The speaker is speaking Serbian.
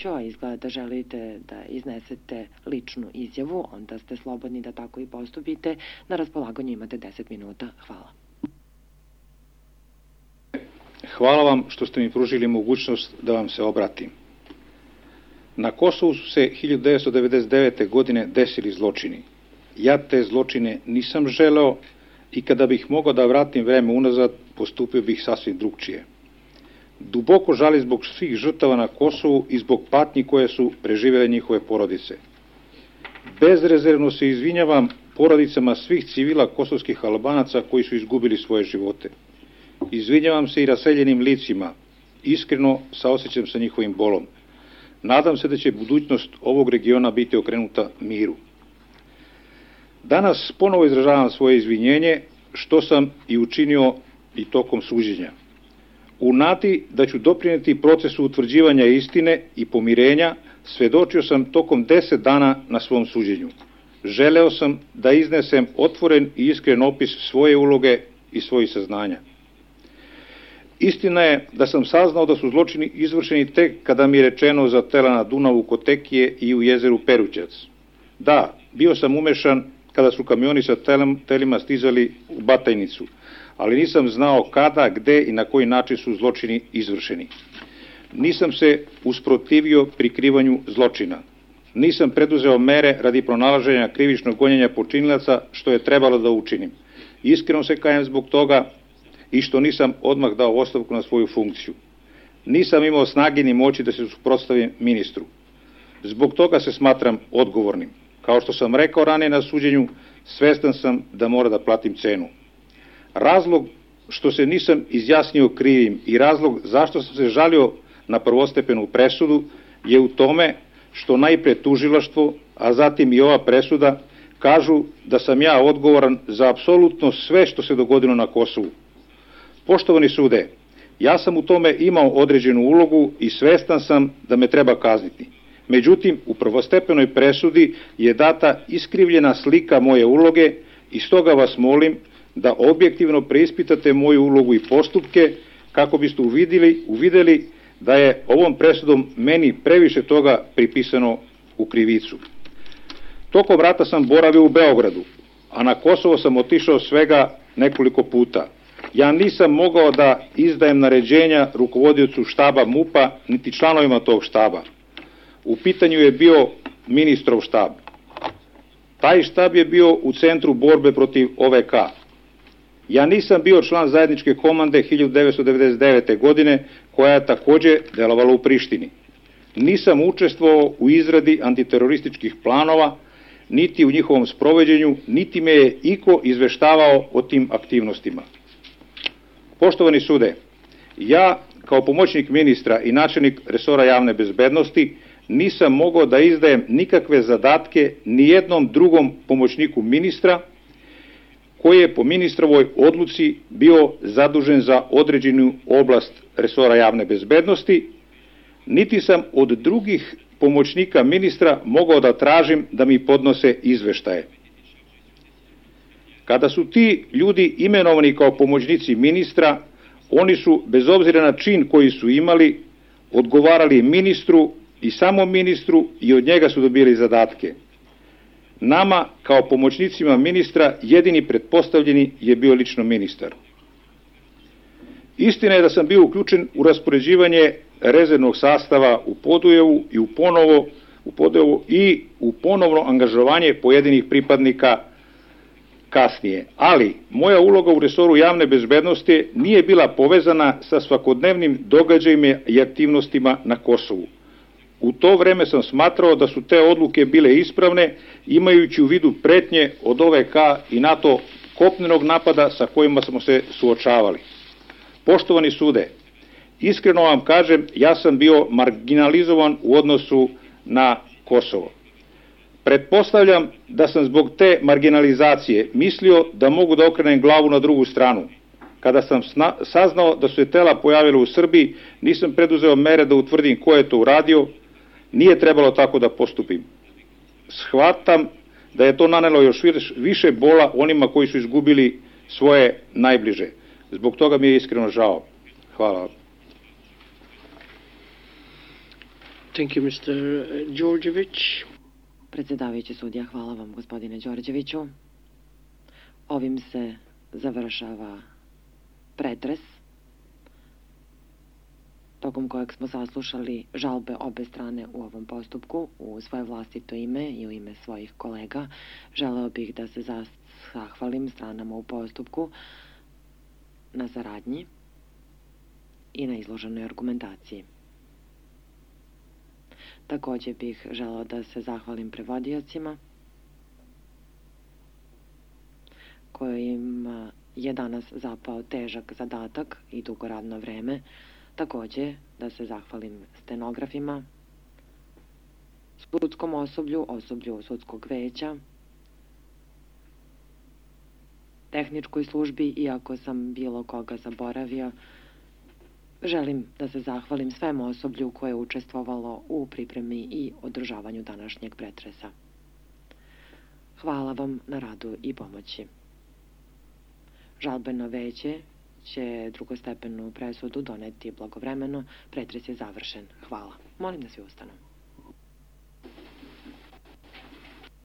a izgleda da želite da iznesete ličnu izjavu, onda ste slobodni da tako i postupite. Na raspolaganju imate 10 minuta. Hvala. Hvala vam što ste mi pružili mogućnost da vam se obratim. Na Kosovu su se 1999. godine desili zločini. Ja te zločine nisam želeo i kada bih mogao da vratim vreme unazad, postupio bih sasvim drugčije. Duboko žalim zbog svih žrtava na Kosovu i zbog patnji koje su preživjele njihove porodice. Bezrezervno se izvinjavam porodicama svih civila kosovskih Albanaca koji su izgubili svoje živote. Izvinjavam se i raseljenim licima, iskreno saosećam sa njihovim bolom. Nadam se da će budućnost ovog regiona biti okrenuta miru. Danas ponovo izražavam svoje izvinjenje, što sam i učinio i tokom suđenja. U nadi da ću doprineti procesu utvrđivanja istine i pomirenja, svedočio sam tokom 10 dana na svom suđenju. Želeo sam da iznesem otvoren i iskren opis svoje uloge i svojih saznanja. Istina je da sam saznao da su zločini izvršeni tek kada mi je rečeno za tela na Dunavu kod Tekije i u jezeru Perućac. Da, bio sam umešan kada su kamioni sa telima stizali u Batajnicu, ali nisam znao kada, gde i na koji način su zločini izvršeni. Nisam se usprotivio prikrivanju zločina. Nisam preduzeo mere radi pronalaženja krivičnog gonjenja počinilaca, što je trebalo da učinim. Iskreno se kajem zbog toga i što nisam odmah dao ostavku na svoju funkciju. Nisam imao snage ni moći da se suprotstavim ministru. Zbog toga se smatram odgovornim. Kao što sam rekao ranije na suđenju, svestan sam da mora da platim cenu. Razlog što se nisam izjasnio krivim i razlog zašto sam se žalio na prvostepenu presudu je u tome što najpre tužilaštvo, a zatim i ova presuda, kažu da sam ja odgovoran za apsolutno sve što se dogodilo na Kosovu. Poštovani sude, ja sam u tome imao određenu ulogu i svestan sam da me treba kazniti. Međutim, u prvostepenoj presudi je data iskrivljena slika moje uloge i stoga vas molim da objektivno preispitate moju ulogu i postupke kako biste uvideli da je ovom presudom meni previše toga pripisano u krivicu. Tokom rata sam boravio u Beogradu, a na Kosovo sam otišao svega nekoliko puta. Ja nisam mogao da izdajem naređenja rukovodiocu štaba MUP-a niti članovima tog štaba. U pitanju je bio ministrov štab. Taj štab je bio u centru borbe protiv OVK. Ja nisam bio član zajedničke komande 1999. godine, koja je takođe delovala u Prištini. Nisam učestvovao u izradi antiterorističkih planova, niti u njihovom sprovođenju, niti me je iko izveštavao o tim aktivnostima. Poštovani sude, ja kao pomoćnik ministra i načelnik resora javne bezbednosti nisam mogao da izdajem nikakve zadatke ni jednom drugom pomoćniku ministra koji je po ministrovoj odluci bio zadužen za određenu oblast resora javne bezbednosti, niti sam od drugih pomoćnika ministra mogao da tražim da mi podnose izveštaje. Kada su ti ljudi imenovani kao pomoćnici ministra, oni su, bez obzira na čin koji su imali, odgovarali ministru i samo ministru i od njega su dobili zadatke. Nama, kao pomoćnicima ministra, jedini pretpostavljeni je bio lično ministar. Istina je da sam bio uključen u raspoređivanje rezervnog sastava u Podujevu i u ponovno angažovanje pojedinih pripadnika kasnije. Ali, moja uloga u resoru javne bezbednosti nije bila povezana sa svakodnevnim događajima i aktivnostima na Kosovu. U to vreme sam smatrao da su te odluke bile ispravne, imajući u vidu pretnje od OVK i NATO kopnenog napada sa kojima smo se suočavali. Poštovani sude, iskreno vam kažem, ja sam bio marginalizovan u odnosu na Kosovo. Pretpostavljam da sam zbog te marginalizacije mislio da mogu da okrenem glavu na drugu stranu. Kada sam saznao da su se tela pojavile u Srbiji, nisam preduzeo mere da utvrdim ko je to uradio, nije trebalo tako da postupim. Shvatam da je to nanelo još više bola onima koji su izgubili svoje najbliže. Zbog toga mi je iskreno žao. Hvala vam. Thank you, Mr. Đorđević. Predsjedavajući sudija, hvala vam, gospodine Đorđeviću. Ovim se završava pretres, tokom kojeg smo saslušali žalbe obe strane u ovom postupku. U svoje vlastito ime i u ime svojih kolega želeo bih da se zahvalim stranama u postupku na saradnji i na izloženoj argumentaciji. Također bih želeo da se zahvalim prevodiocima kojim je danas zapao težak zadatak i dugo radno vreme. Također da se zahvalim stenografima, sudskom osoblju sudskog veća, tehničkoj službi, iako sam bilo koga zaboravio. Želim da se zahvalim svem osoblju koje je učestvovalo u pripremi i održavanju današnjeg pretresa. Hvala vam na radu i pomoći. Žalbeno veće će drugostepenu presudu doneti blagovremeno. Pretres je završen. Hvala. Molim da svi ustanu.